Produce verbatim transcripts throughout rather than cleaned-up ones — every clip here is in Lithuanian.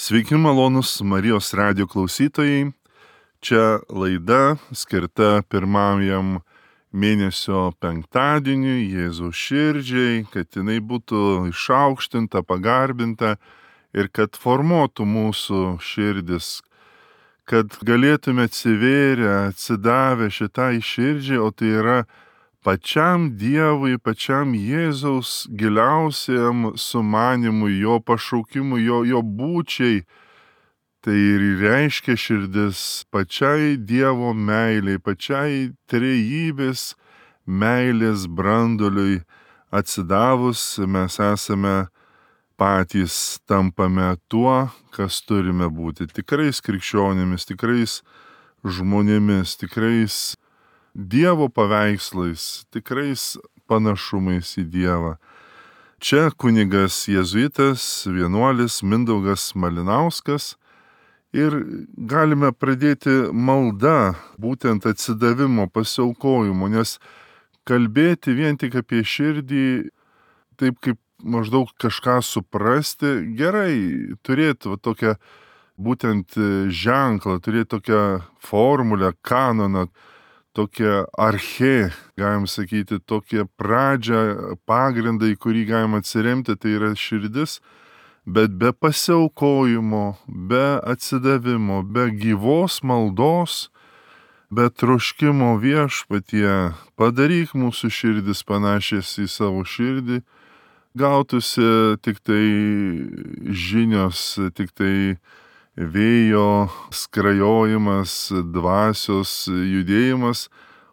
Sveiki malonus Marijos radijo klausytojai. Čia laida skirta pirmajam mėnesio penktadieniui, Jėzaus širdžiai, kad jinai būtų išaukštinta, pagarbinta ir kad formuotų mūsų širdis, kad galėtume atsivėrę, atsidavę šitai širdžiai, o tai yra pačiam Dievui, pačiam Jėzaus giliausiam sumanimui, jo pašaukimui, jo, jo būčiai. Tai ir reiškia širdis pačiai Dievo meiliai, pačiai trejybės meilės branduliui atsidavus mes esame patys tampame tuo, kas turime būti. Tikrais krikščionimis, tikrais žmonėmis, tikrais Dievo paveikslais, tikrais panašumais į Dievą. Čia kunigas jėzuitas, vienuolis Mindaugas Malinauskas ir galime pradėti maldą, būtent atsidavimo, pasiaukojimo, nes kalbėti vien tik apie širdį, taip kaip maždaug kažką suprasti, gerai, turėti va, tokią būtent ženklą, turėti tokią formulę, kanoną, tokią archė, galim sakyti, tokią pradžią, pagrindą, į kurį galim atsiremti, tai yra širdis, bet be pasiaukojimo, be atsidavimo, be gyvos maldos, be troškimo Viešpatie, padaryk mūsų širdis panašias į savo širdį, gautųsi tik tai žinios, tik tai vėjo skrajojimas, dvasios judėjimas,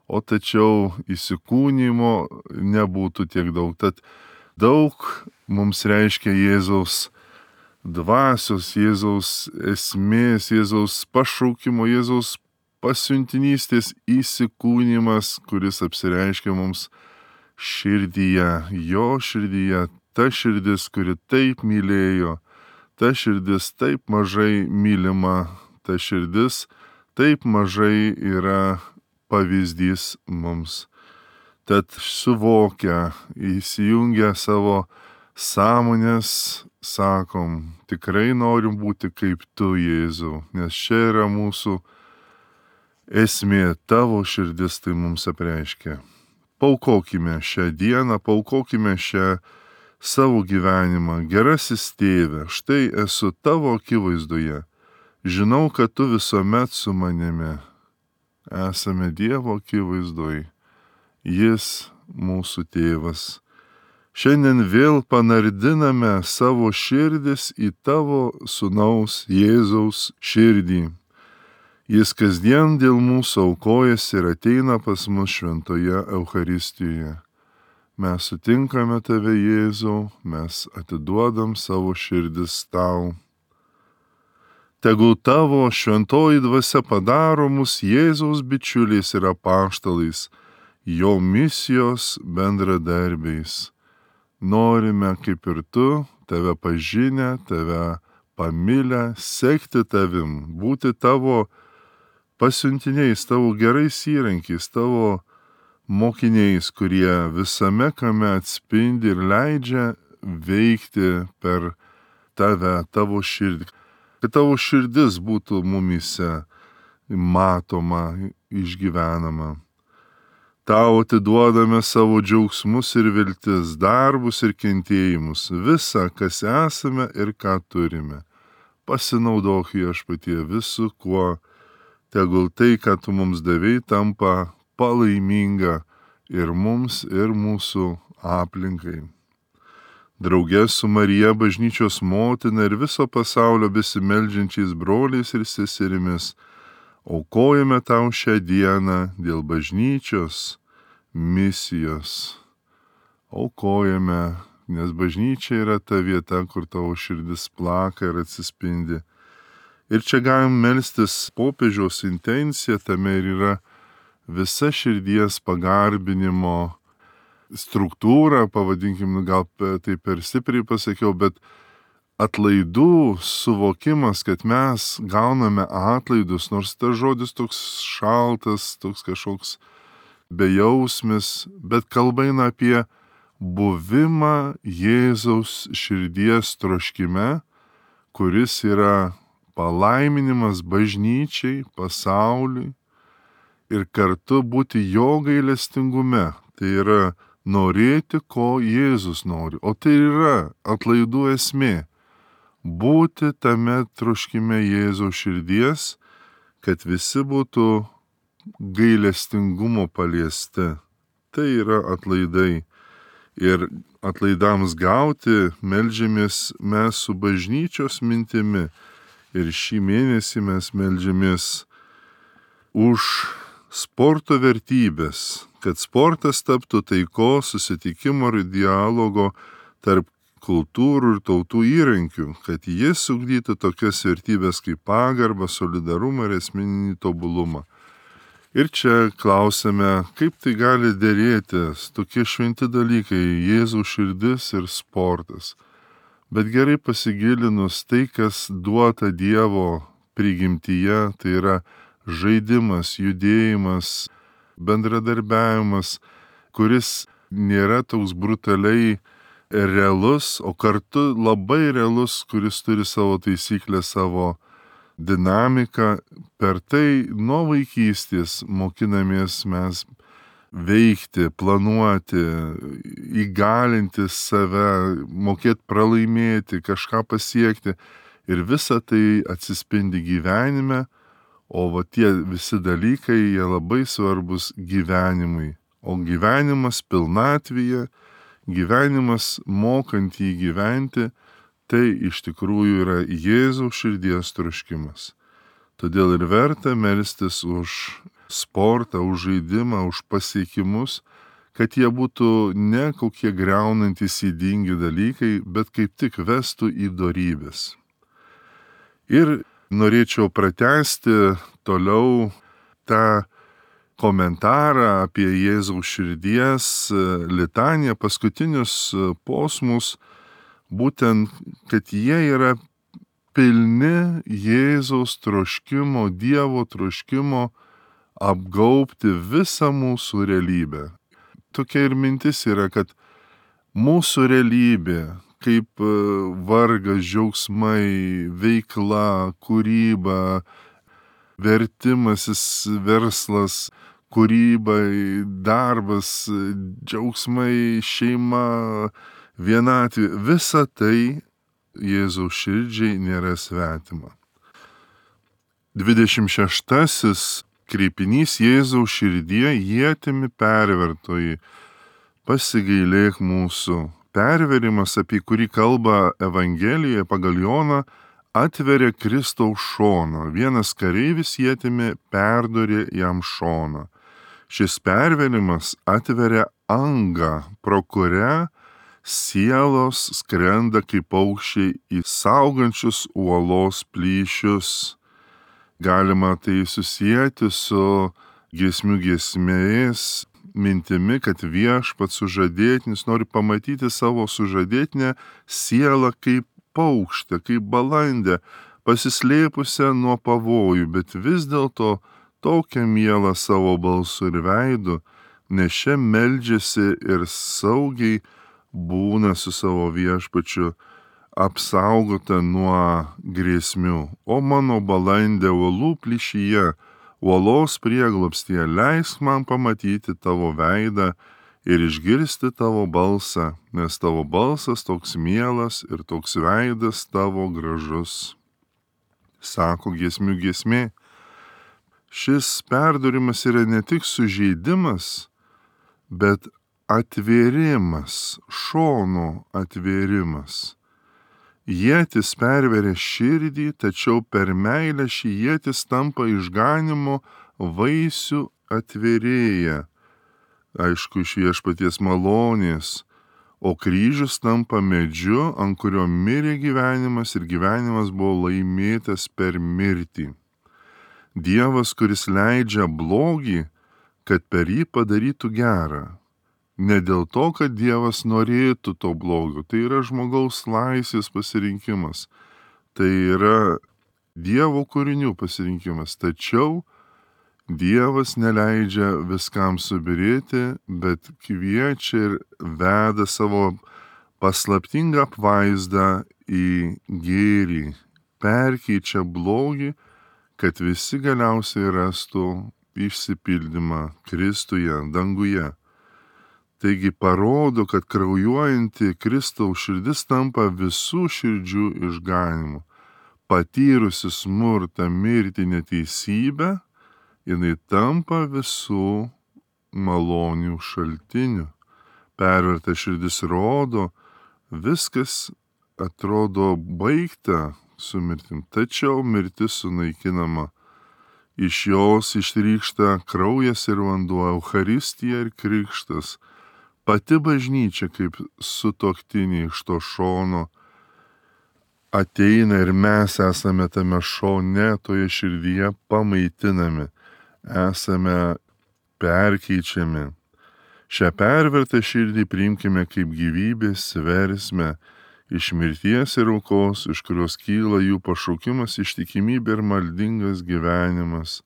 o tačiau įsikūnymo nebūtų tiek daug. Tad daug mums reiškia Jėzaus dvasios, Jėzaus esmės, Jėzaus pašaukimo, Jėzaus pasiuntinystės įsikūnymas, kuris apsireiškia mums širdyje, jo širdyje, ta širdis, kuri taip mylėjo, ta širdis taip mažai mylima, ta širdis taip mažai yra pavyzdys mums. Tad suvokę, įsijungę savo sąmonės, sakom, tikrai norim būti kaip tu, Jėzau, nes čia yra mūsų esmė, tavo širdis tai mums apreiškia. Paukokime šią dieną, paukokime šią savo gyvenimą, gerasis tėve, štai esu tavo akivaizdoje, žinau, kad tu visuomet su manimi, esame Dievo akivaizdoje, jis mūsų tėvas. Šiandien vėl panardiname savo širdis į tavo sūnaus Jėzaus širdį. Jis kasdien dėl mūsų aukojasi ir ateina pas mus šventoje Eucharistijoje. Mes sutinkame tave, Jėzau, mes atiduodam savo širdis tau. Tegul tavo šventoji dvasia padaro mus Jėzaus bičiuliais ir apaštalais, jo misijos bendradarbiais. Norime, kaip ir tu, tave pažinę, tave pamilę, sekti tavim, būti tavo pasiuntiniais, tavo gerais įrankiais, tavo mokiniais, kurie visame kame atspindi ir leidžia veikti per tave, tavo širdį. Kad tavo širdis būtų mumyse matoma, išgyvenama. Tau atiduodame savo džiaugsmus ir viltis, darbus ir kentėjimus, visą, kas esame ir ką turime. Pasinaudok Viešpatie visu, kuo tegul tai, ką tu mums davei, tampa palaiminga ir mums, ir mūsų aplinkai. Drauge su Marija, bažnyčios motina ir viso pasaulio besimeldžiančiais broliais ir seserimis, aukojame tau šią dieną dėl bažnyčios misijos. Aukojame, nes bažnyčia yra ta vieta, kur tavo širdis plaka ir atsispindi. Ir čia galim melstis popiežiaus intenciją, tame ir yra visa širdies pagarbinimo struktūra, pavadinkim, gal tai per stipriai pasakiau, bet atlaidų suvokimas, kad mes gauname atlaidus, nors tas žodis toks šaltas, toks kažkoks bejausmis, bet kalba eina apie buvimą Jėzaus širdies troškime, kuris yra palaiminimas bažnyčiai, pasauliui ir kartu būti jo gailestingume. Tai yra norėti, ko Jėzus nori. O tai yra atlaidų esmė. Būti tame troškime Jėzaus širdies, kad visi būtų gailestingumo paliesti. Tai yra atlaidai. Ir atlaidams gauti meldžiamės mes su bažnyčios mintimi. Ir šį mėnesį mes meldžiamės už sporto vertybės, kad sportas taptų taikos, susitikimo ir dialogo tarp kultūrų ir tautų įrankių, kad jis ugdytų tokias vertybės kaip pagarbą, solidarumą ir asmeninį tobulumą. Ir čia klausime, kaip tai gali dėrėtis tokie šventi dalykai - Jėzaus širdis ir sportas. Bet gerai pasigilinus tai, kas duota Dievo prigimtyje, tai yra žaidimas, judėjimas, bendradarbiavimas, kuris nėra toks brutaliai realus, o kartu labai realus, kuris turi savo taisyklę, savo dinamiką. Per tai nuo vaikystės mokinamės mes veikti, planuoti, įgalinti save, mokėti pralaimėti, kažką pasiekti. Ir visa tai atsispindi gyvenime, o va tie visi dalykai, jie labai svarbus gyvenimui. O gyvenimas pilnatvėje, gyvenimas mokant jį gyventi, tai iš tikrųjų yra Jėzaus širdies troškimas. Todėl ir verta melstis už sportą, už žaidimą, už pasiekimus, kad jie būtų ne kokie greunantys ydingi dalykai, bet kaip tik vestų į dorybės. Ir norėčiau pratęsti toliau tą komentarą apie Jėzaus širdies litaniją, paskutinius posmus, būtent, kad jie yra pilni Jėzaus troškimo, Dievo troškimo apgaubti visą mūsų realybę. Tokia ir mintis yra, kad mūsų realybė, kaip vargas, džiaugsmai, veikla, kūryba, vertimasis, verslas, kūryba, darbas, džiaugsmai, šeima, vienatvė, visa tai Jėzaus širdžiai nėra svetima. dvidešimt šeštasis kreipinys Jėzaus širdie ietimi pervertoji, pasigailėk mūsų. Perverimas, apie kurį kalba Evangelijoje pagal Joną, atveria Kristaus šoną. Vienas kareivis ietimi perdorė jam šoną. Šis perverimas atveria angą, pro kurią sielos skrenda kaip paukščiai į saugančius uolos plyšius. Galima tai susijęti su giesmių giesmės mintimi, kad viešpats sužadėtinis nori pamatyti savo sužadėtinę sielą kaip paukštę, kaip balandę, pasislėpusią nuo pavojų, bet vis dėlto tokią mielą savo balsu ir veidu, nes čia meldžiasi ir saugiai būna su savo viešpačiu, apsaugota nuo grėsmių. O mano balandė uolų plyšyje, uolos prieglobstyje, leisk man pamatyti tavo veidą ir išgirsti tavo balsą, nes tavo balsas toks mielas ir toks veidas tavo gražus. Sako giesmių giesmė. Šis perdurimas yra ne tik sužeidimas, bet atvėrimas, šono atvėrimas. Ietis perveria širdį, tačiau per meilę šį ietis tampa išganimo vaisių atvėrėja. Aišku, iš viešpaties malonės, o kryžius tampa medžiu, ant kurio mirė gyvenimas ir gyvenimas buvo laimėtas per mirtį. Dievas, kuris leidžia blogį, kad per jį padarytų gerą. Ne dėl to, kad Dievas norėtų to blogio, tai yra žmogaus laisvės pasirinkimas, tai yra Dievo kūrinių pasirinkimas, tačiau Dievas neleidžia viskam subirėti, bet kviečia ir veda savo paslaptingą apvaizdą į gėrį, perkeičia blogį, kad visi galiausiai rastų išsipildymą Kristuje, danguje. Taigi parodo, kad kraujuojanti Kristaus širdis tampa visų širdžių išganimu. Patyrusi smurtą, mirtį, neteisybę, jinai tampa visų malonių šaltinių. Perverta širdis rodo, viskas atrodo baigta su mirtim, tačiau mirtis sunaikinama. Iš jos ištrykšta kraujas ir vanduo, Eucharistija ir krikštas. Pati bažnyčia kaip sutuoktiniai iš to šono ateina ir mes esame tame šone, toje širdyje pamaitinami, esame perkeičiami. Šią pervertą širdį priimkime kaip gyvybės versmę iš mirties ir aukos, iš kurios kyla jų pašaukimas, ištikimybė ir maldingas gyvenimas.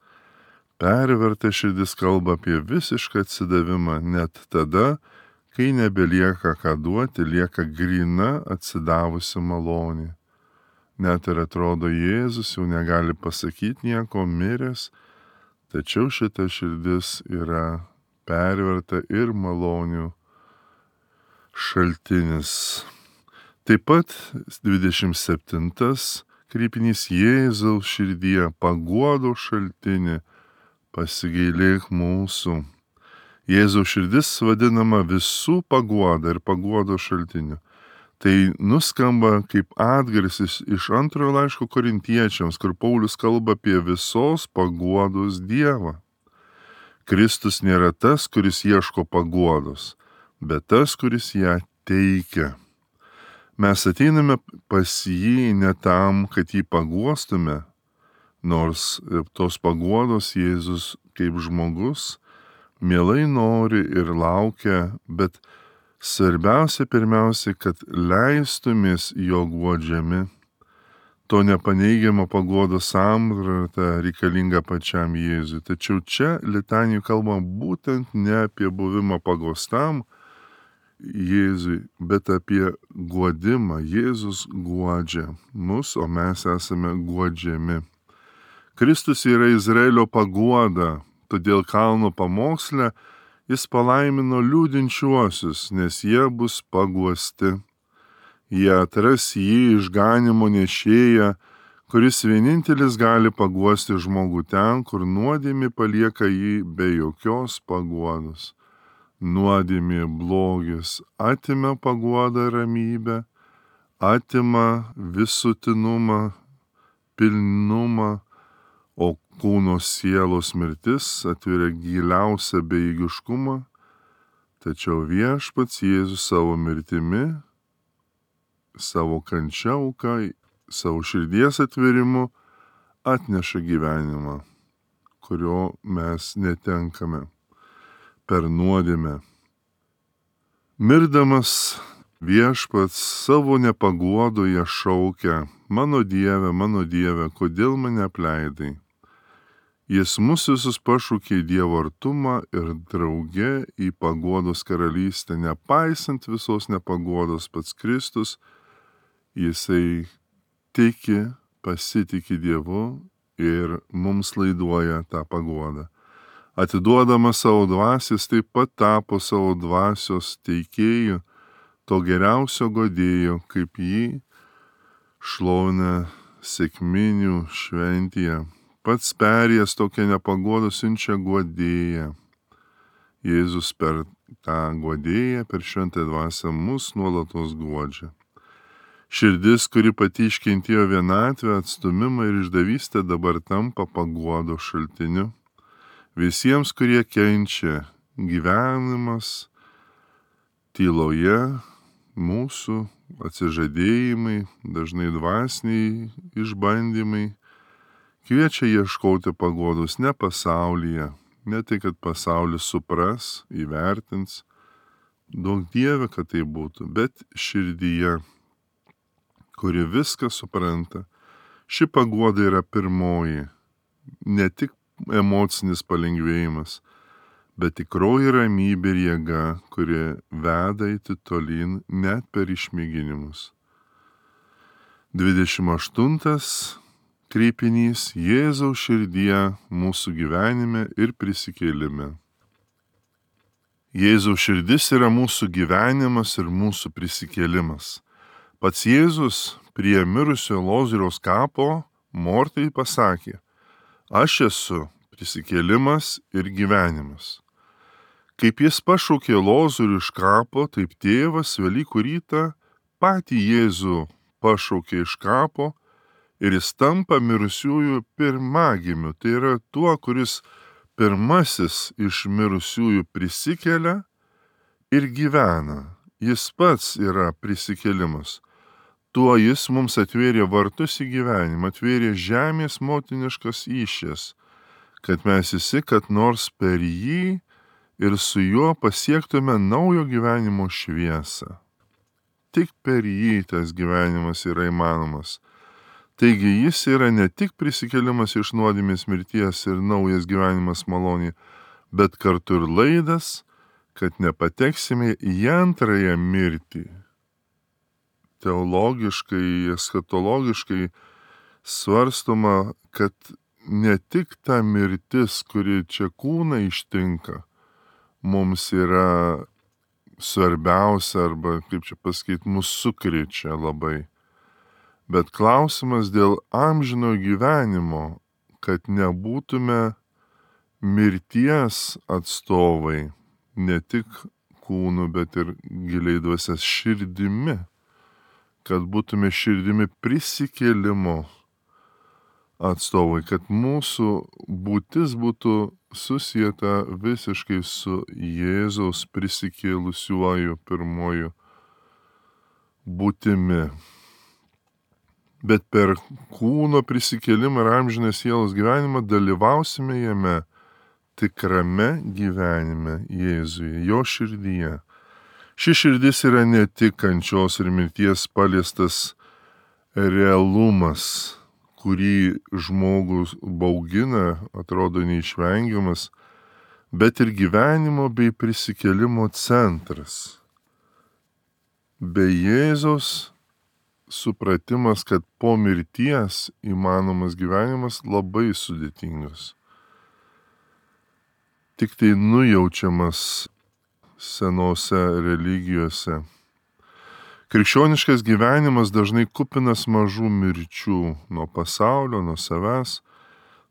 Perverta širdis kalba apie visišką atsidavimą, net tada, kai nebelieka ką duoti, lieka gryna atsidavusi malonė. Net ir atrodo, Jėzus jau negali pasakyti nieko, miręs, tačiau šita širdis yra perverta ir malonių šaltinis. Taip pat dvidešimt septintas kreipinys Jėzaus širdyje paguodo šaltinį, pasigailėk mūsų. Jėzaus širdis vadinama visų paguoda ir paguodo šaltiniu. Tai nuskamba kaip atgarsis iš antrojo laiško korintiečiams, kur Paulius kalba apie visos paguodos Dievą. Kristus nėra tas, kuris ieško paguodos, bet tas, kuris ją teikia. Mes ateiname pas jį ne tam, kad jį paguostume, nors tos paguodos Jėzus kaip žmogus mielai nori ir laukia, bet svarbiausia pirmiausia, kad leistumės jo guodžiami. To nepaneigiamo paguodos samprata reikalinga pačiam Jėzui. Tačiau čia litanijų kalba būtent ne apie buvimą pagostam Jėzui, bet apie guodimą. Jėzus guodžia mus, o mes esame guodžiami. Kristus yra Izraelio paguoda, todėl kalno pamoksle jis palaimino liūdinčiuosius, nes jie bus paguosti. Jie atras jį išganimo nešėją, kuris vienintelis gali paguosti žmogų ten, kur nuodėmė palieka jį be jokios paguodos. Nuodėmė blogis atima paguodą ramybę, atima visutinumą, pilnumą, o kūno sielos mirtis atveria giliausią bejėgiškumą, tačiau viešpats Jėzus savo mirtimi, savo kančia auka, savo širdies atverimu atneša gyvenimą, kurio mes netenkame per nuodėmę. Mirdamas viešpats savo nepaguodoje šaukia: mano Dieve, mano Dieve, kodėl mane apleidai? Jis mus visus pašaukė į Dievo artumą ir drauge į paguodos karalystę. Nepaisant visos nepaguodos, pats Kristus, jisai tiki, pasitiki Dievu ir mums laiduoja tą paguodą. Atiduodamas savo dvasios, taip pat tapo savo dvasios teikėjų, to geriausio godėjo, kaip jį šlovina sekminių šventėje. Pats perėjęs tokią nepaguodą siunčia guodėją. Jėzus per tą guodėją, per šventąją dvasią mus nuolatos guodžia. Širdis, kuri pati iškentėjo vienatvę, atstumimą ir išdavystę, dabar tampa paguodo šaltiniu. Visiems, kurie kenčia, gyvenimas tyloje, mūsų atsižadėjimai, dažnai dvasiniai išbandymai, kviečia ieškoti paguodos ne pasaulyje, ne tai, kad pasaulis supras, įvertins, duok Dieve, kad tai būtų, bet širdyje, kuri viską supranta. Ši paguoda yra pirmoji, ne tik emocinis palengvėjimas, bet tikroji ramybė ir jėga, kuri veda eiti tolyn net per išmėginimus. dvidešimt aštuntas kreipinys - Jėzaus širdie mūsų gyvenime ir prisikėlime. Jėzaus širdis yra mūsų gyvenimas ir mūsų prisikėlimas. Pats Jėzus prie mirusio Lozoriaus kapo Mortai pasakė: aš esu prisikėlimas ir gyvenimas. Kaip jis pašaukė Lozorių iš kapo, taip tėvas Velykų rytą patį Jėzų pašaukė iš kapo ir jis tampa mirusiųjų pirmagimiu. Tai yra tuo, kuris pirmasis iš mirusiųjų prisikelia ir gyvena. Jis pats yra prisikėlimas. Tuo jis mums atvėrė vartus į gyvenimą, atvėrė žemės motiniškas įšės, kad mes visi, kad nors per jį ir su juo pasiektume naujo gyvenimo šviesą. Tik per jį tas gyvenimas yra įmanomas. Taigi jis yra ne tik prisikėlimas iš nuodėmės mirties ir naujas gyvenimas malonė, bet kartu ir laidas, kad nepateksime į antrąją mirtį. Teologiškai, eschatologiškai svarstoma, kad ne tik ta mirtis, kuri čia kūną ištinka, mums yra svarbiausia arba, kaip čia pasakyti, mus sukrečia labai. Bet klausimas dėl amžino gyvenimo, kad nebūtume mirties atstovai, ne tik kūnu, bet ir giliai dvasios širdimi, kad būtume širdimi prisikėlimo atstovai, kad mūsų būtis būtų susieta visiškai su Jėzaus prisikėlusiuoju pirmoju būtimi. Bet per kūno prisikėlimą ir amžiną sielos gyvenimą dalyvausime jame tikrame gyvenime Jėzuje, jo širdyje. Ši širdis yra ne tik kančios ir mirties paliestas realumas, kurį žmogus baugina, atrodo neišvengiamas, bet ir gyvenimo bei prisikėlimo centras. Be Jėzaus supratimas, kad po mirties įmanomas gyvenimas labai sudėtingas. Tik tai nujaučiamas senose religijose. Krikščioniškas gyvenimas dažnai kupinas mažų mirčių nuo pasaulio, nuo savęs,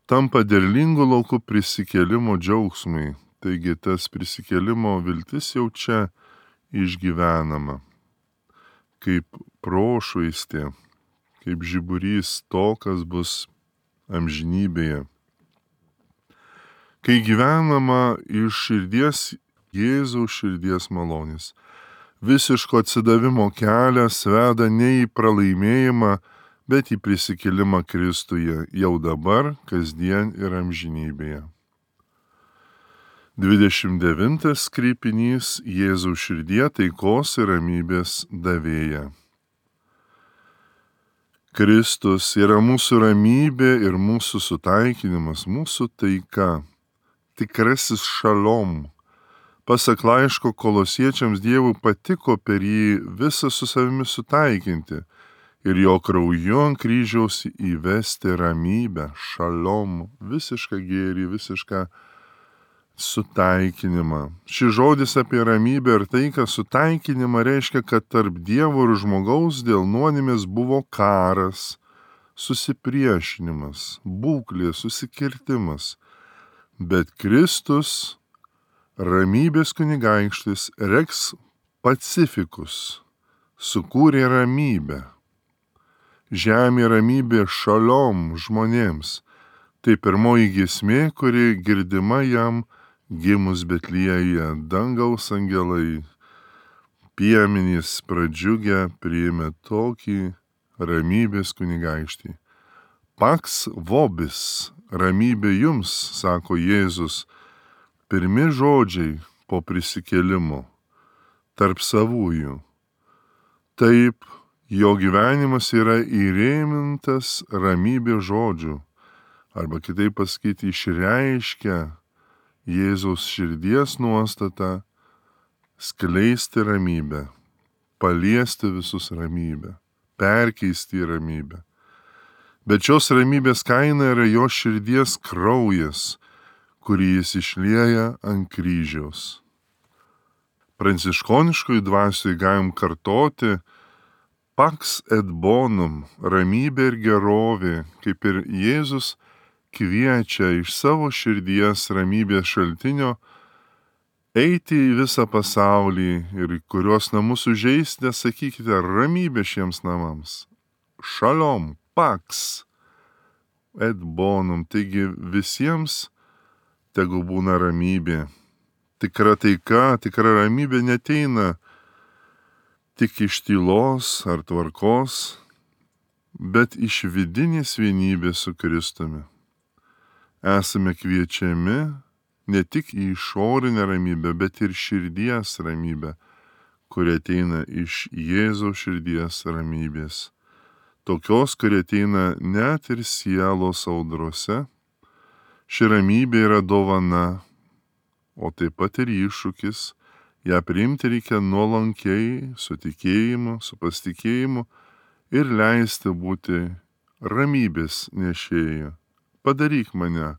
tampa derlingų laukų prisikėlimo džiaugsmai. Taigi tas prisikėlimo viltis jau čia išgyvenama. Kaip prošvaistė, kaip žiburys to, kas bus amžinybėje. Kai gyvenama iš širdies Jėzaus širdies malonės. Visiško atsidavimo kelias veda ne į pralaimėjimą, bet į prisikėlimą Kristuje jau dabar, kasdien ir amžinybėje. dvidešimt devintas kreipinys Jėzaus širdie taikos ir ramybės davėja. Kristus yra mūsų ramybė ir mūsų sutaikinimas, mūsų taika, tikrasis šalom. Pasak laiško Kolosiečiams Dievui patiko per jį visą su savimi sutaikinti ir jo krauju ant kryžiaus įvesti ramybę, šalom, visišką gėrį, visišką sutaikinimą. Šis žodis apie ramybę ir taiką sutaikinimą reiškia, kad tarp Dievo ir žmogaus dėl nuodėmės buvo karas, susipriešinimas, būklė, susikirtimas. Bet Kristus, ramybės kunigaikštis, Rex Pacificus, sukūrė ramybę. Žemė ramybė šalom žmonėms. Tai pirmoji giesmė, kuri girdima jam gimus Betliejuje. Dangaus angelai, piemenys pradžiugę priėmė tokį ramybės kunigaikštį. Pax vobis, ramybė jums, sako Jėzus, pirmi žodžiai po prisikėlimo, tarp savųjų. Taip, jo gyvenimas yra įrėmintas ramybės žodžių, arba kitaip pasakyti, išreiškia Jėzaus širdies nuostatą skleisti ramybę, paliesti visus ramybę, perkeisti į ramybę. Bet šios ramybės kaina yra jo širdies kraujas, kurį jis išlieja ant kryžiaus. Pranciškoniškoj dvasioj galim kartoti pax et bonum, ramybė ir gerovė, kaip ir Jėzus kviečia iš savo širdies ramybės šaltinio eiti į visą pasaulį ir į kurios namus užeisite, sakykite ramybė šiems namams. Šalom, pax et bonum, taigi visiems tegu būna ramybė. Tikra taika, tikra ramybė neteina tik iš tylos ar tvarkos, bet iš vidinės vienybės su Kristumi. Esame kviečiami ne tik į išorinę ramybę, bet ir širdies ramybę, kuri ateina iš Jėzaus širdies ramybės. Tokios, kuri ateina net ir sielos audrose. Ši ramybė yra dovana, o taip pat ir iššūkis. Ja priimti reikia nuolankiai, su tikėjimu, su pasitikėjimu ir leisti būti ramybės nešėju. Padaryk mane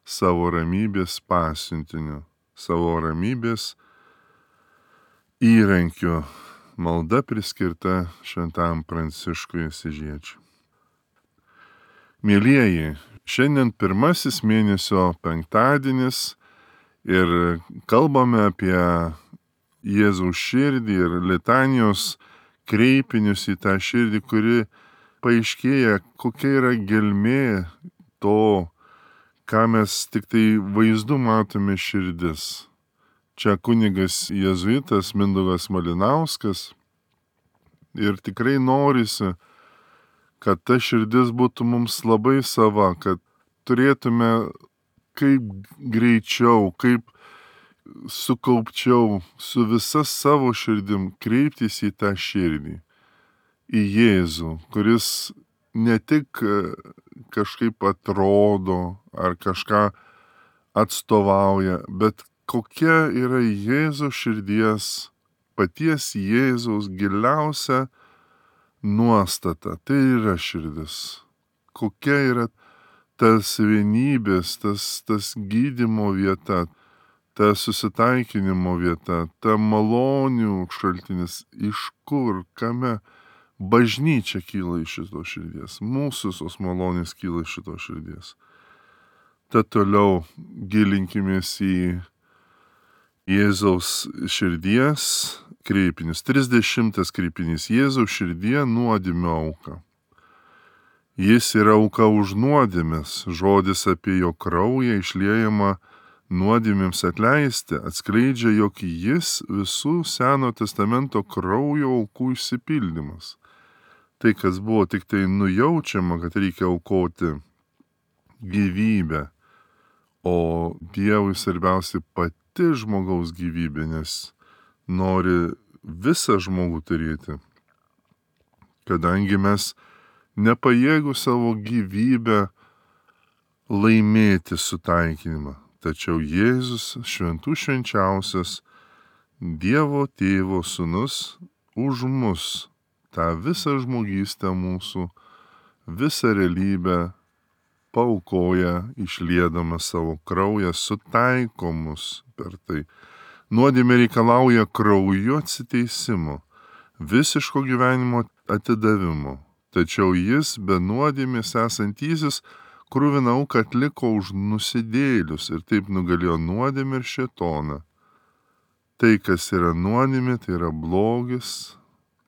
savo ramybės pasiuntiniu, savo ramybės įrankiu. Malda priskirta šventam Pranciškui Asyžiečiui. Mielieji, šiandien pirmasis mėnesio penktadienis ir kalbame apie Jėzaus širdį ir litanijos kreipinius į tą širdį, kuri paaiškėja, kokia yra gelmė to, ką mes tik tai vaizdu matome širdis. Čia kunigas jėzuitas Mindaugas Malinauskas ir tikrai norisi, kad ta širdis būtų mums labai sava, kad turėtume kaip greičiau, kaip sukaupčiau su visa savo širdim kreiptis į tą širdį, į Jėzų, kuris ne tik kažkaip atrodo ar kažką atstovauja, bet kokia yra Jėzaus širdies, paties Jėzaus giliausia nuostata. Tai yra širdis. Kokia yra tas vienybės, tas, tas gydymo vieta, ta susitaikinimo vieta, ta malonių šaltinis, iš kur, kame bažnyčia kyla iš šitos širdies. Mūsų tos malonės kyla iš šitos širdies. Tad toliau gilinkimės į Jėzaus širdies kreipinius. trisdešimtas kreipinys. Jėzaus širdie nuodėmių auka. Jis yra auka už nuodėmes. Žodis apie jo kraują išliejama nuodėmėms atleisti atskleidžia, jog jis visų Seno testamento kraujo aukų išsipildymas. Tai, kas buvo tik tai nujaučiama, kad reikia aukoti gyvybę, o Dievui svarbiausia pati žmogaus gyvybė, nes nori visą žmogų turėti. Kadangi mes nepajėgų savo gyvybę laimėti sutaikinimą, tačiau Jėzus šventų švenčiausias Dievo Tėvo Sūnus už mus tą visą žmogystę mūsų, visą realybę paaukoja, išliedama savo kraują, sutaiko mus per tai. Nuodėmė reikalauja kraujo atsiteisimo, visiško gyvenimo atidavimo. Tačiau jis be nuodėmės esantysis kruviną auką atliko už nusidėlius ir taip nugalėjo nuodėmę ir šėtoną. Tai, kas yra nuodėmė, tai yra blogis,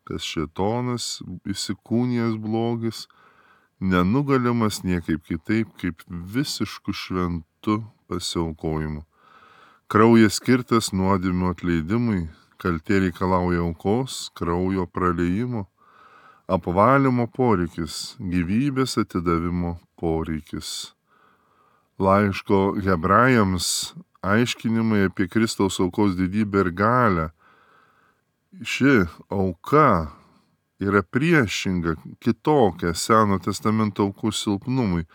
tas šėtonas, įsikūnijęs blogis, nenugalimas niekaip kitaip, kaip visišku šventu pasiaukojimu. Kraujas skirtas nuodėmių atleidimui, kaltė reikalauja aukos, kraujo praliejimo, apvalymo poreikis, gyvybės atidavimo poreikis. Laiško Hebrajams aiškinimai apie Kristaus aukos didybę ir galią. Ši auka yra priešinga, kitokia Seno testamento aukų silpnumui,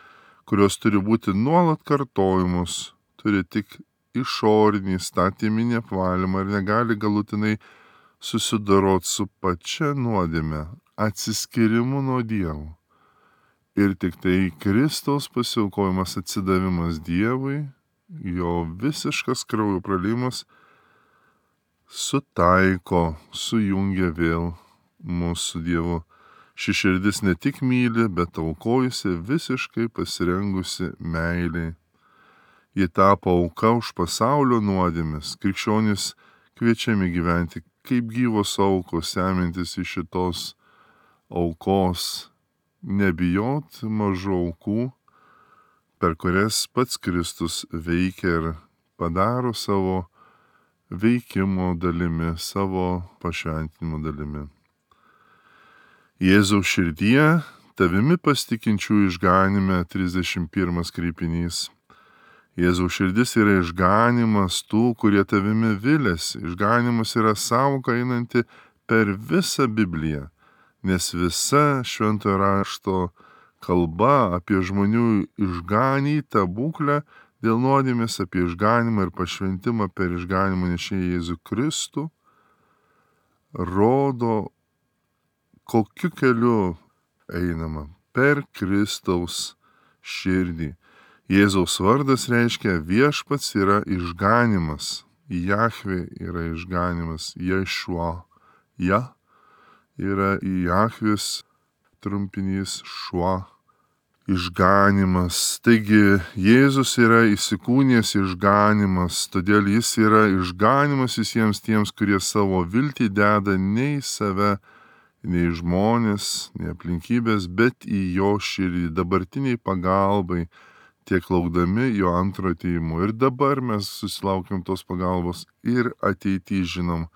kurios turi būti nuolat kartojamos, turi tik išorinį statyminį apvalymą ir negali galutinai susidoroti su pačia nuodėme. atsiskirimu nuo Dievo. Ir tik tai Kristaus pasiaukojimas, atsidavimas Dievui, jo visiškas kraujo praliejimas sutaiko, sujungia vėl mūsų Dievu. Ši širdis ne tik myli, bet aukojusi, visiškai pasirengusi meiliai. Ji tapo auka už pasaulio nuodėmes. Krikščionys kviečiami gyventi kaip gyvos aukos, semintis iš šitos aukos, nebijot mažų aukų, per kurias pats Kristus veikia ir padaro savo veikimo dalimi, savo pašventinimo dalimi. Jėzaus širdyje, tavimi pasitikinčių išganime, trisdešimt pirmas kreipinys. Jėzaus širdis yra išganimas tų, kurie tavimi viliasi. Išganimas yra sąvoka einanti per visą Bibliją, nes visa šventojo rašto kalba apie žmonių išganytą būklę dėl nuodėmės, apie išganimą ir pašventimą per išganimą nešėją Jėzų Kristų, rodo, kokiu keliu einama per Kristaus širdį. Jėzaus vardas reiškia viešpats yra išganimas, Jahvė yra išganimas, Ješua, Ja yra Jahvės trumpinys, Šua, išganimas. Taigi Jėzus yra įsikūnijęs išganimas, todėl jis yra išganimas visiems tiems, kurie savo viltį deda ne į save, ne į žmonės, ne aplinkybės, bet į jo širdį, dabartiniai pagalbai, tiek laukdami jo antro atėjimo. Ir dabar mes susilaukiam tos pagalbos ir ateityje žinom,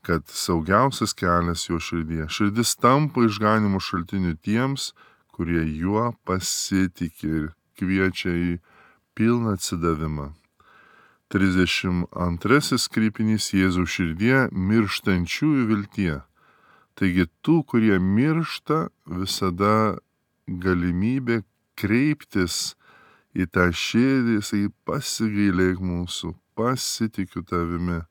kad saugiausias kelias jo širdyje. Širdis tampa išganimo šaltiniu tiems, kurie juo pasitikė ir kviečia į pilną atsidavimą. trisdešimt antrasis kreipinys Jėzaus širdyje mirštančiųjų viltie. Taigi tų, kurie miršta, visada galimybė kreiptis į tą širdį, jisai pasigailėk mūsų, pasitikiu tavimi.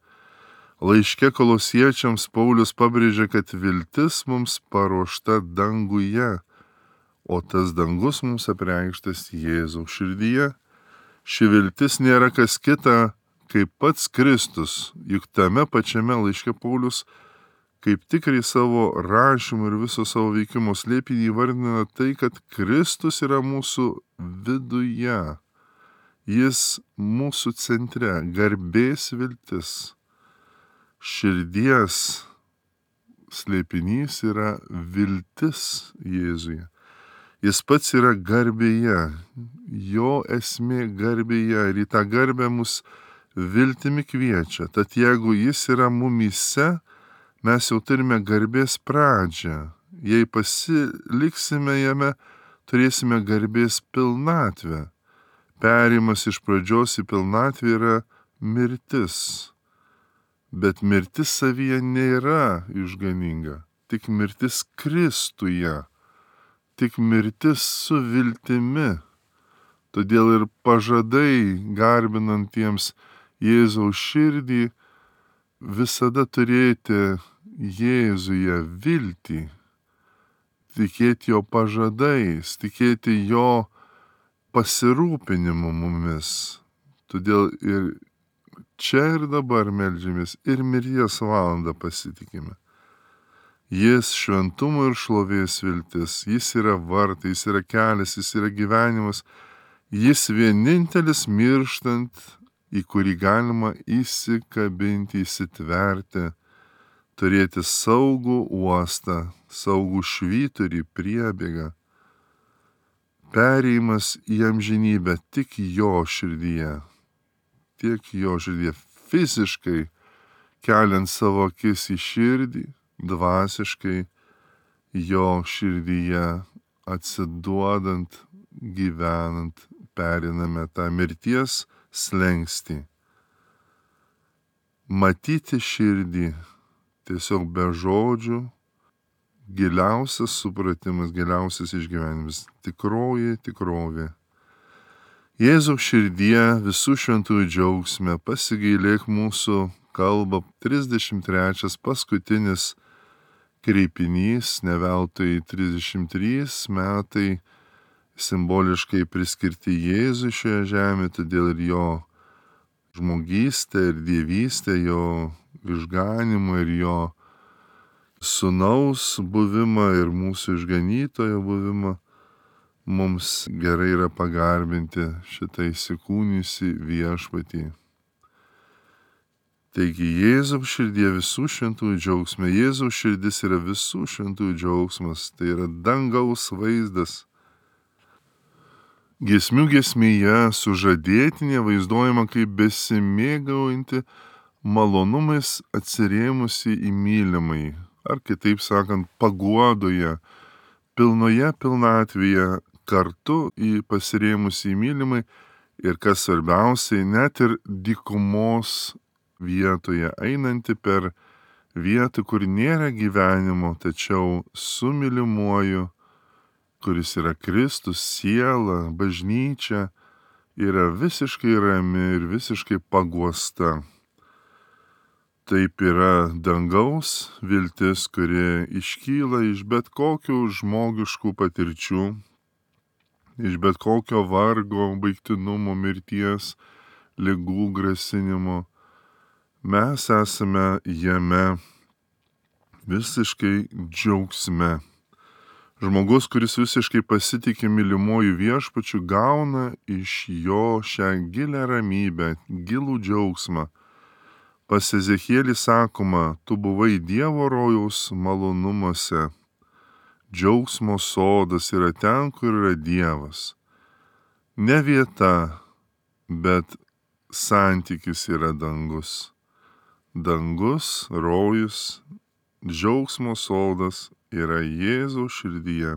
Laiške Kolosiečiams Paulius pabrėžia, kad viltis mums paruošta danguje, o tas dangus mums apreikštas Jėzaus širdyje. Ši viltis nėra kas kita, kaip pats Kristus, juk tame pačiame laiške Paulius kaip tikrai savo rašymu ir viso savo veikimo slėpinį įvardina tai, kad Kristus yra mūsų viduje. Jis mūsų centre, garbės viltis. Širdies slėpinys yra viltis Jėzuje. Jis pats yra garbėje, jo esmė garbėje ir į tą garbę mus viltimi kviečia. Tad jeigu jis yra mumyse, mes jau turime garbės pradžią. Jei pasiliksime jame, turėsime garbės pilnatvę. Perėjimas iš pradžios į pilnatvę yra mirtis. Bet mirtis savyje nėra išganinga, tik mirtis Kristuje, tik mirtis su viltimi. Todėl ir pažadai garbinantiems Jėzaus širdį visada turėti Jėzuje viltį, tikėti jo pažadais, tikėti jo pasirūpinimu mumis. Todėl ir čia ir dabar meldžiamės ir mirties valandą pasitikime. Jis šventumo ir šlovės viltis, jis yra vartai, jis yra kelias, jis yra gyvenimas, jis vienintelis mirštant, į kurį galima įsikabinti, įsitverti, turėti saugų uostą, saugų švyturį, priebėgą. Perėjimas į amžinybę tik jo širdyje, tiek jo širdyje, fiziškai keliant savo akis į širdį, dvasiškai jo širdyje atsiduodant, gyvenant, periname tą mirties slengstį. Matyti širdį tiesiog be žodžių, giliausias supratimas, giliausias išgyvenimas, tikroji tikrovė. Jėzaus širdyje visų šventųjų džiaugsme pasigailėk mūsų, kalba trisdešimt trečias paskutinis kreipinys, ne veltui trisdešimt trys metai simboliškai priskirti Jėzui šioje žemėje, todėl ir jo žmogystė ir dievystė, jo išganimą ir jo sūnaus buvimą ir mūsų išganytojo buvimą mums gerai yra pagarbinti šitą įsikūnijusį viešpatį. Taigi Jėzaus širdie visų šventųjų džiaugsme, Jėzaus širdis yra visų šventųjų džiaugsmas, tai yra dangaus vaizdas. Giesmių giesmėje sužadėtinė vaizduojama kaip besimėgaujanti malonumais atsirėmusi į mylimąjį, ar kitaip sakant, paguodoje, pilnoje pilnatvėje kartu į pasirėmusį į mylimąjį ir kas svarbiausiai, net ir dykumos vietoje, einanti per vietą, kur nėra gyvenimo, tačiau su mylimuoju, kuris yra Kristus, siela, bažnyčia, yra visiškai rami ir visiškai paguosta. Taip yra dangaus viltis, kuri iškyla iš bet kokių žmogiškų patirčių, iš bet kokio vargo, baigtinumo, mirties, ligų, grasinimo. Mes esame jame visiškai džiaugsme. Žmogus, kuris visiškai pasitikė mylimuoju viešpačiu, gauna iš jo šią gilę ramybę, gilų džiaugsmą. Pas Ezechielį sakoma, tu buvai Dievo rojaus malonumuose. Džiaugsmo sodas yra ten, kur yra Dievas. Ne vieta, bet santykis yra dangus. Dangus, rojus, džiaugsmo sodas yra Jėzaus širdyje.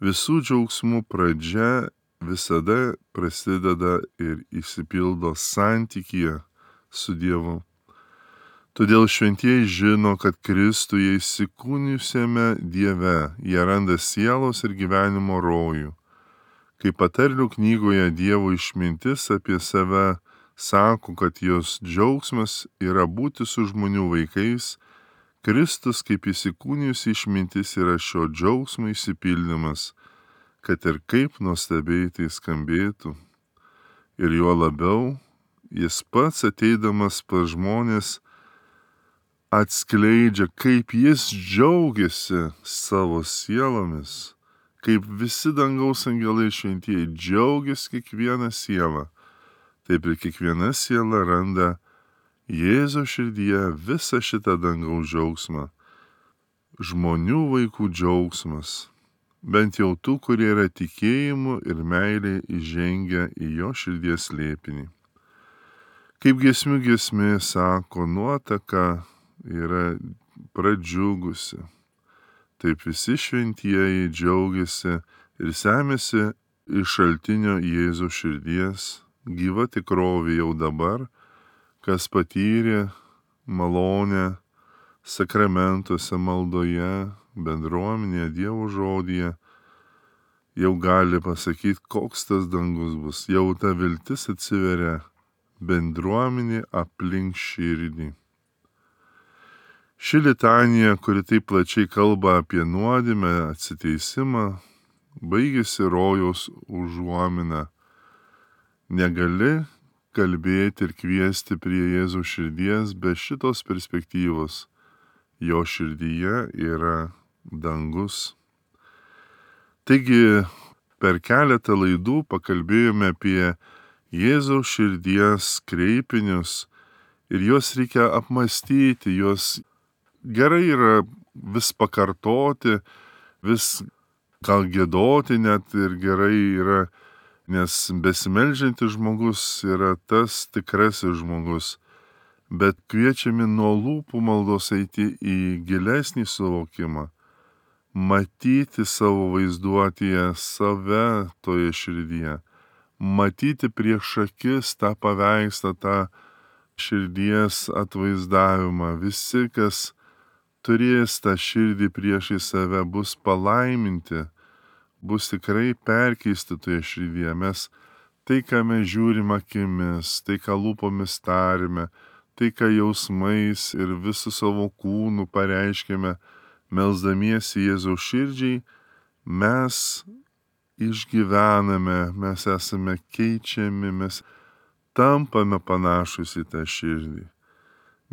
Visų džiaugsmų pradžia visada prasideda ir išsipildo santykyje su Dievu. Todėl šventieji žino, kad Kristuje įsikūnijusiame Dieve jie randa sielos ir gyvenimo rojų. Kaip patarlių knygoje Dievo išmintis apie save sako, kad jos džiaugsmas yra būti su žmonių vaikais, Kristus kaip įsikūnijusi išmintis yra šio džiaugsmo išsipildymas, kad ir kaip nuostabiai tai skambėtų. Ir juo labiau, jis pats ateidamas pas žmonės atskleidžia, kaip jis džiaugiasi savo sielomis, kaip visi dangaus angelai šventieji džiaugiasi kiekvieną sielą. Taip ir kiekviena siela randa Jėzaus širdyje visą šitą dangaus džiaugsmą. Žmonių vaikų džiaugsmas, bent jau tų, kurie yra tikėjimu ir meilė įžengę į jo širdies slėpinį. Kaip giesmių giesmė sako, nuotaka yra pradžiugusi. Taip visi šventieji džiaugiasi ir semėsi iš šaltinio Jėzaus širdies, gyva tikrovė jau dabar, kas patyrė malonę sakramentuose, maldoje, bendruomenėje, Dievo žodyje, jau gali pasakyti, koks tas dangus bus. Jau ta viltis atsiveria bendruomenė aplink širdį. Ši litanija, kuri taip plačiai kalba apie nuodėmę, atsiteisimą, baigėsi rojaus užuomina. Negali kalbėti ir kviesti prie Jėzaus širdies be šitos perspektyvos. Jo širdyje yra dangus. Taigi, per keletą laidų pakalbėjome apie Jėzaus širdies kreipinius ir juos reikia apmastyti, juos gerai yra vis pakartoti, vis gal giedoti net ir gerai yra, nes besimeldžiantis žmogus yra tas tikrasis žmogus, bet kviečiami nuo lūpų maldos eiti į gilesnį suvokimą, matyti savo vaizduotėje save toje širdyje, matyti prieš akis tą paveikslą, tą širdies atvaizdavimą. Visi, kas turės tą širdį priešai save, bus palaiminti, bus tikrai perkeisti toje širdyje. Mes tai, ką mes žiūrim akimis, tai, ką lūpomis tarime, tai, ką jausmais ir visų savo kūnų pareiškime, melsdamiesi Jėzaus širdžiai, mes išgyvename, mes esame keičiami, mes tampame panašus į tą širdį.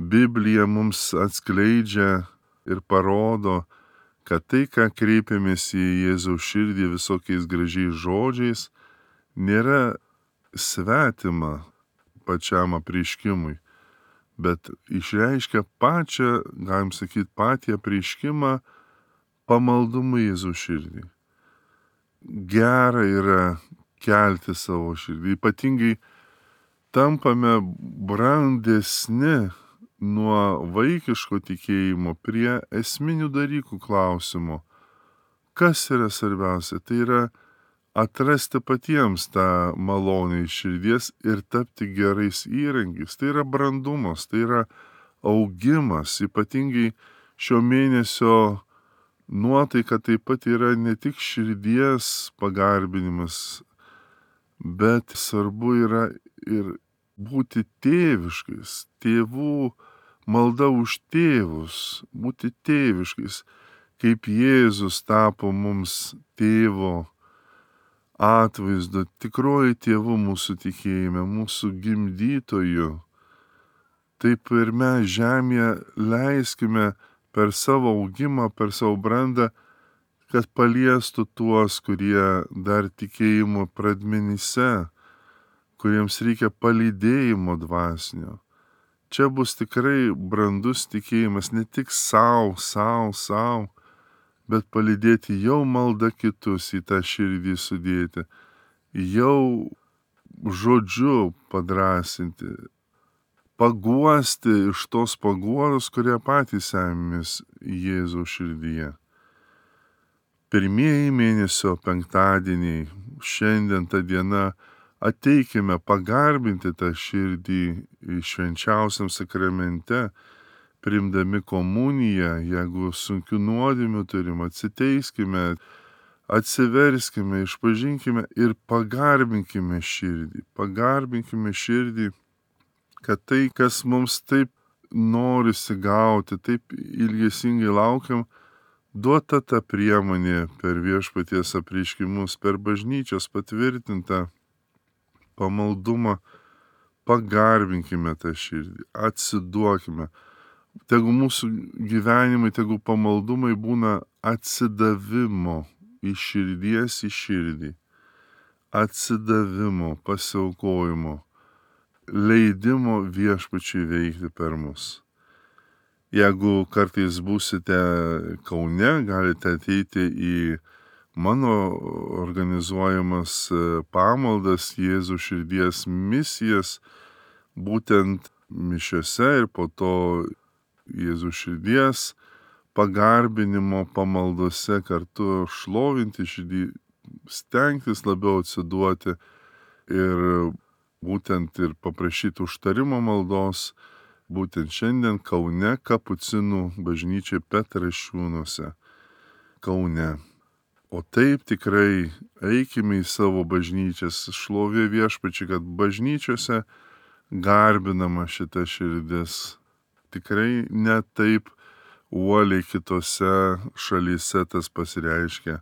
Biblija mums atskleidžia ir parodo, kad tai, ką kreipiamės į Jėzaus širdį visokiais gražiais žodžiais, nėra svetima pačiam apreiškimui, bet išreiškia pačią, galim sakyti, patį apreiškimą pamaldumu Jėzaus širdį. Gera yra kelti savo širdį, ypatingai tampame brandesni nuo vaikiško tikėjimo prie esminių dalykų klausimo. Kas yra svarbiausia? Tai yra atrasti patiems tą malonę iš širdies ir tapti gerais įrankiais. Tai yra brandumas, tai yra augimas. Ypatingai šio mėnesio nuotaika taip pat yra ne tik širdies pagarbinimas, bet svarbu yra ir būti tėviškais, tėvų malda už tėvus, būti tėviškais, kaip Jėzus tapo mums tėvo atvaizdu, tikroji tėvų mūsų tikėjime, mūsų gimdytoju. Taip ir mes žemėje leiskime per savo augimą, per savo brandą, kad paliestų tuos, kurie dar tikėjimo pradmenyse, kuriems reikia palydėjimo dvasinio. Čia bus tikrai brandus tikėjimas ne tik savo, savo, savo, bet palydėti jau maldą kitus į tą širdį sudėti, jau žodžiu padrasinti, paguosti iš tos paguodos, kurie patys semės Jėzaus širdyje. Pirmieji mėnesio penktadieniai, šiandien ta diena, ateikime pagarbinti tą širdį švenčiausiam sakramente, priimdami komuniją, jeigu sunkių nuodėmių turim, atsiteiskime, atsiverskime, išpažinkime ir pagarbinkime širdį. Pagarbinkime širdį, kad tai, kas mums taip norisi gauti, taip ilgesingai laukiam, duota ta priemonė per viešpaties apreiškimus, per bažnyčios patvirtintą pamaldumą, pagarbinkime tą širdį, atsiduokime. Tegu mūsų gyvenimai, tegu pamaldumai būna atsidavimo iš širdies į širdį, atsidavimo, pasiaukojimo, leidimo viešpačiui veikti per mus. Jeigu kartais būsite Kaune, galite ateiti į mano organizuojamas pamaldas, Jėzaus širdies misijas, būtent mišiose ir po to Jėzaus širdies pagarbinimo pamaldose kartu šlovinti širdį, stengtis labiau atsiduoti ir būtent ir paprašyti užtarimo maldos, būtent šiandien Kaune Kapucinų bažnyčiai Petrašiūnuose, Kaune. O taip tikrai eikime į savo bažnyčias, šlovė viešpačiui, kad bažnyčiose garbinama šita širdis. Tikrai ne taip uoliai kitose šalyse tas pasireiškia,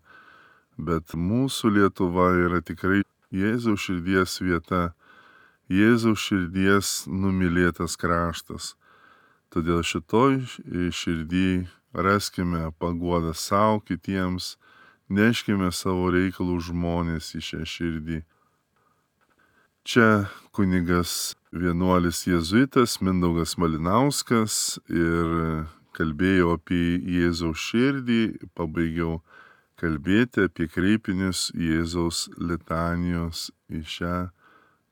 bet mūsų Lietuva yra tikrai Jėzaus širdies vieta, Jėzaus širdies numylėtas kraštas. Todėl šitoj širdį raskime paguodą savo, kitiems, neškime savo reikalų žmonės į šią širdį. Čia kunigas vienuolis jėzuitas Mindaugas Malinauskas ir kalbėjau apie Jėzaus širdį, pabaigiau kalbėti apie kreipinius Jėzaus litanijos į šią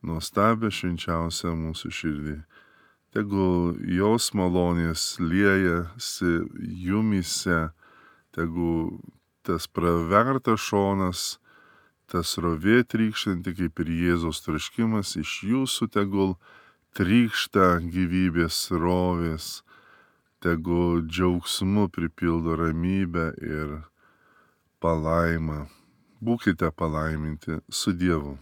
nuostabią švenčiausią mūsų širdį. Tegul jos malonės liejasi jumyse, tegul tas pravertas šonas, tas rovė trykštanti kaip ir Jėzaus troškimas, iš jūsų tegul trykšta gyvybės rovės, tegul džiaugsmu pripildo ramybę ir palaimą. Būkite palaiminti su Dievu.